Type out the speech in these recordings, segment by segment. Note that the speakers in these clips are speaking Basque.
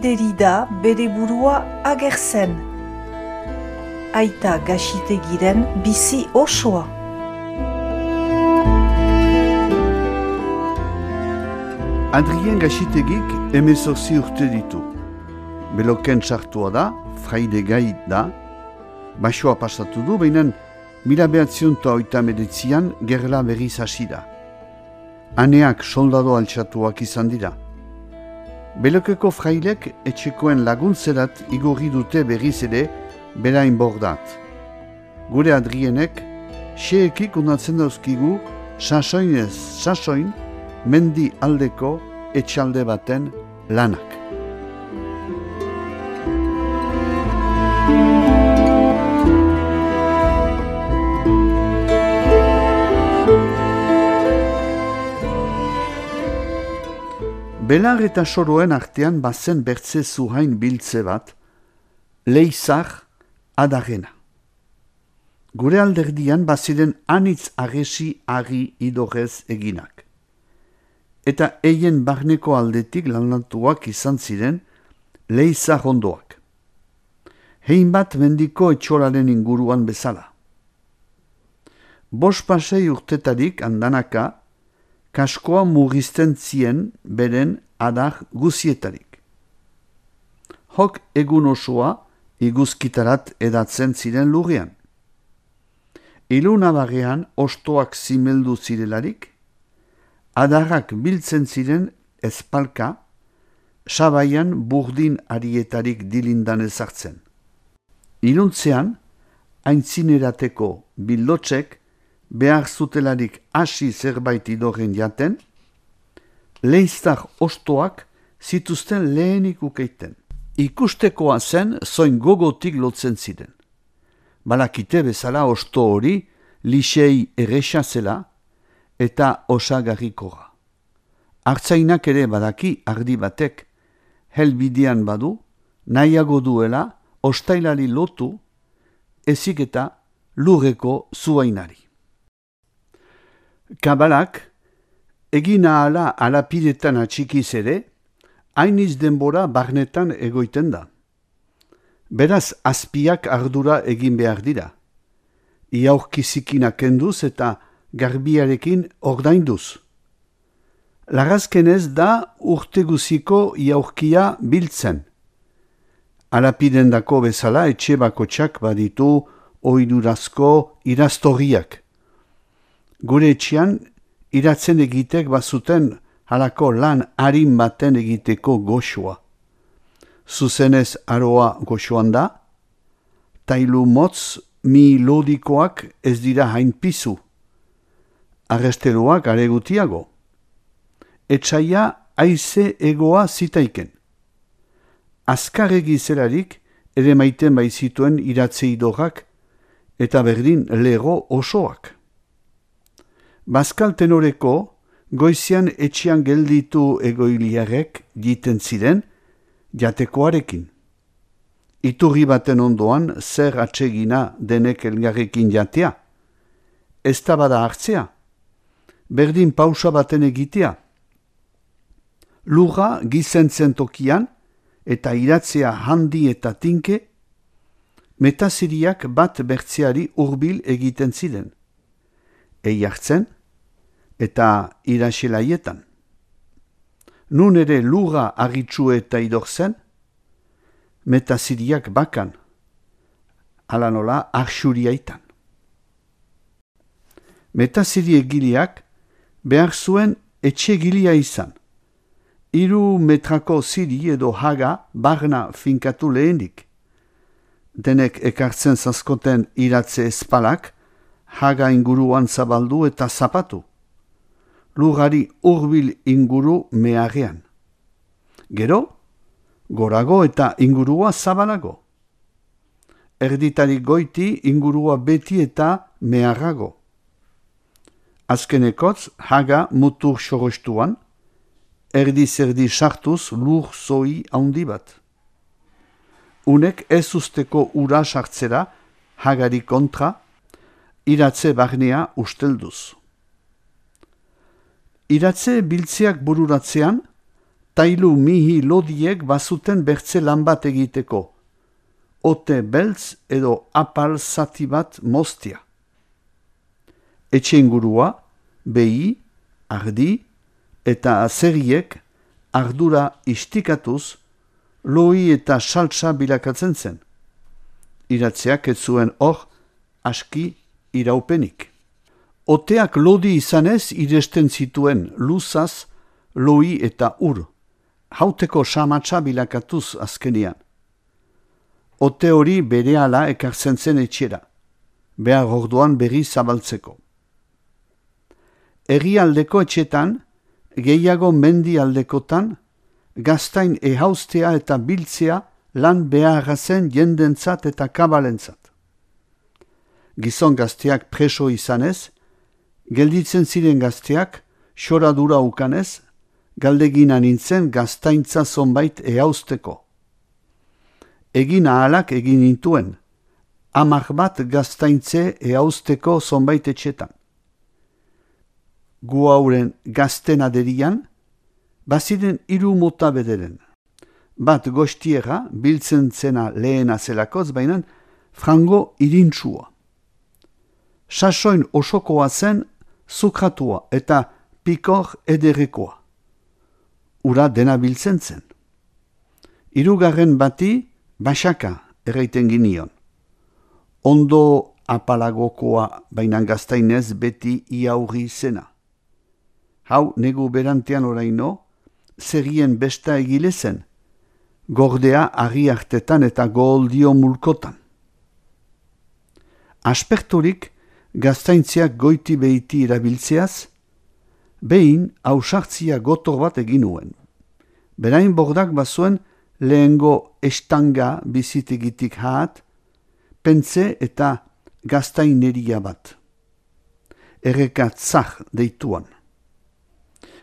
bideri da bere burua agertzen. Aita Gaxitegiren bizi osoa. Adrien Gaxitegik 18 urte ditu. Beloken sartua da, fraide gai da, basoa pasatu du, baina 1989an gerla berriz hasi da. Haneak soldado altxatuak izan dira. Belokeko frailek etxekoen laguntzerat igorri dute berriz ere berain bordat. Gure Adrienek, xeekik unatzen dauzkigu, sasoinez sasoin, mendi aldeko etxalde baten lanak. Belar eta soroen artean bazen bertze zuhain biltze bat, leizar adarena. Gure alderdian baziren anitz agesi ari idorez eginak. Eta eien barneko aldetik lanatuak izan ziren leizar ondoak. Hein bat mendiko etxolaren inguruan bezala. 5 urtetarik andanaka, kaskoa mugizten zien beren adar guzietarik. Hok egun osoa iguzkitarat edatzen ziren lurrean. Ilunabarrean ostoak zimeldu zirelarik, adarrak biltzen ziren ezpalka, sabaian burdin arietarik dilindan ezartzen. Iluntzean, aintzinerateko bildotzek behar zutelarik hasi zerbait idorren jaten, leiztar ostoak zituzten lehenik ukeiten. Ikustekoa zen zoin gogotik lotzen ziren. Balakite bezala osto hori lixei erresa zela eta osagarrikoa. Artzainak ere badaki ardi batek, helbidean badu, nahiago duela ostailari lotu, ezik eta lurreko zuainari. Kabalak, egin ahala alapidetan atxikiz ere, hainiz denbora barnetan egoiten da. Beraz, azpiak ardura egin behar dira. Iaurkizikinak kenduz eta garbiarekin ordainduz. Larrazkenez da urteguziko iaurkia biltzen. Alapidendako bezala etxe bakotxak baditu oidurazko iraztorriak. Gure etxean iratzen egitek bazuten halako lan harin baten egiteko goxoa. Zuzenez aroa goxoan da, tailu motz mi lodikoak ez dira hain pizu. Arresteloak are gutiago. Etxaia haize egoa zitaiken. Azkarregi zelarik ere maiten baizituen iratze idorrak eta berdin lego osoak. Bazkal tenoreko goizian etxean gelditu egoiliarek jiten ziren jatekoarekin. Iturri baten ondoan zer atsegina denek elgarrekin jatea. Ez da bada hartzea. Berdin pausa baten egitea. Lurra gizentzen tokian eta iratzea handi eta tinke, metaziriak bat bertzeari hurbil egiten ziren. Eiartzen eta iraselaietan. Nun ere lurra argitsu eta idorzen, metaziriak bakan, ala nola arsuriaitan. Metaziri egileak behar zuen etxegilia izan. 3 metrako ziri edo haga barna finkatu lehenik. Denek ekartzen zazkoten iratze espalak, haga inguruan zabaldu eta zapatu. Lurrari hurbil inguru meharrean. Gero, gorago eta ingurua zabalago. Erditari goiti ingurua beti eta meharrago. Azkenekotz haga mutur sorostuan, erdi-zerdi sartuz lur zoi handi bat. Unek ez usteko ura sartzera hagari kontra, iratze barnea ustelduz. Iratze biltzeak bururatzean, tailu mihi lodiek bazuten bertze lan bat egiteko, ote beltz edo apal zati bat moztia. Etxe ingurua, behi, ardi eta azeriek ardura istikatuz, loi eta saltsa bilakatzen zen. Iratzeak ez zuen hor aski iraupenik. Oteak lodi izanez iresten zituen luzaz, loi eta ur, hauteko samatsa bilakatuz azkenian. Ote hori berehala ekartzen zen etxera, behar orduan berri zabaltzeko. Herrialdeko etxetan, gehiago mendi aldekotan, gaztain ehaustea eta biltzea lan beharra zen jendentzat eta kabalentzat. Gizon gazteak preso izanez, gelditzen ziren gazteak, xoradura ukanez, galdegina nintzen gaztaintza zonbait ehausteko. Egin ahalak egin nintuen, 10 bat gaztaintze ehausteko zonbait etxetan. Gu hauren gazten aderian, baziren 3 mota bederen. Bat gostiera biltzen zena lehena zelakoz, baina frango irintsua. Sasoin osokoa zen zukratua eta pikor ederekoa. Ura dena biltzen zen. 3. bati basaka erraiten ginion. Ondo apalagokoa baina gaztainez beti iaurri zena. Hau negu berantean oraino, zerrien besta egile zen, gordea argi hartetan eta goldio mulkotan. Asperturik gaztaintziak goiti behiti erabiltzeaz, behin hausartzia gotor bat egin nuen. Berain bordak bazuen lehengo estanga bizitegitik haat, pentze eta gaztaineria bat. Erreka tzah deituan.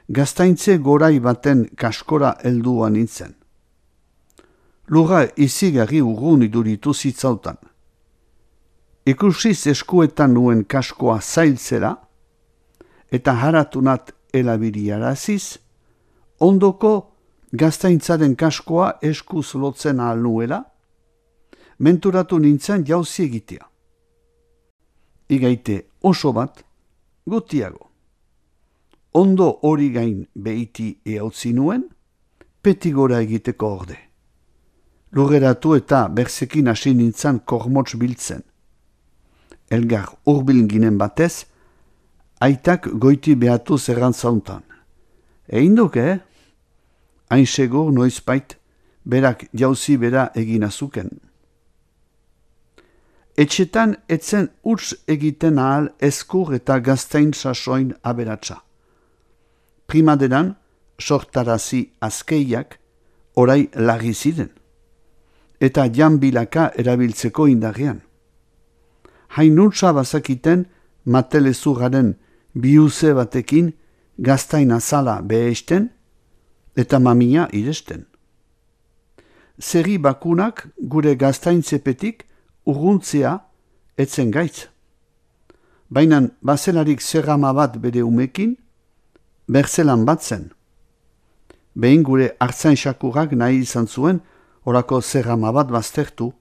Gaztaintze gorai baten kaskora helduan nintzen. Lurra izigarri urrun iduritu zitzautan. Ikusiz eskuetan nuen kaskoa zailtzera, eta haratunat elabiriaraziz, ondoko gaztaintzaren kaskoa eskuz lotzen ahal nuela, menturatu nintzen jauzi egitea. Igaite oso bat, gutiago. Ondo hori gain behiti ehautzi nuen, peti gora egiteko orde. Lurreratu eta berzekin hasi nintzen kormotz biltzen. Elgar urbil ginen batez, aitak goiti behatu zerrantzauntan. Egin duke, hain segur noizbait, berak jauzi bera egin azuken. Etxetan etzen huts egiten ahal eskur eta gaztain sasoin aberatsa. Primaderan, sortarazi azkeiak orai larri ziren, eta janbilaka erabiltzeko indarrean. Hainutsa bazakiten matelezurraren biuze batekin gaztain azala behesten eta mamia iresten. Zerri bakunak gure gaztaintzepetik urruntzea etzen gaitz. Bainan bazelarik zerrama bat bere umekin, berzelan bat zen. Behin gure hartzain xakurrak nahi izan zuen orako zerrama bat baztertu.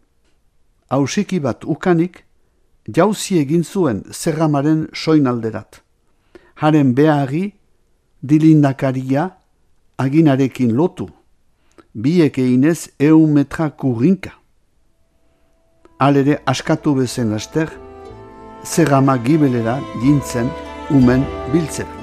Hausiki bat ukanik, jauzi egin zuen zerramaren soinalderat. Haren beharri dilindakaria aginarekin lotu, biek einez 100 metra kurrinka. Halere askatu bezen laster, zerrama gibelera jintzen umen biltzera.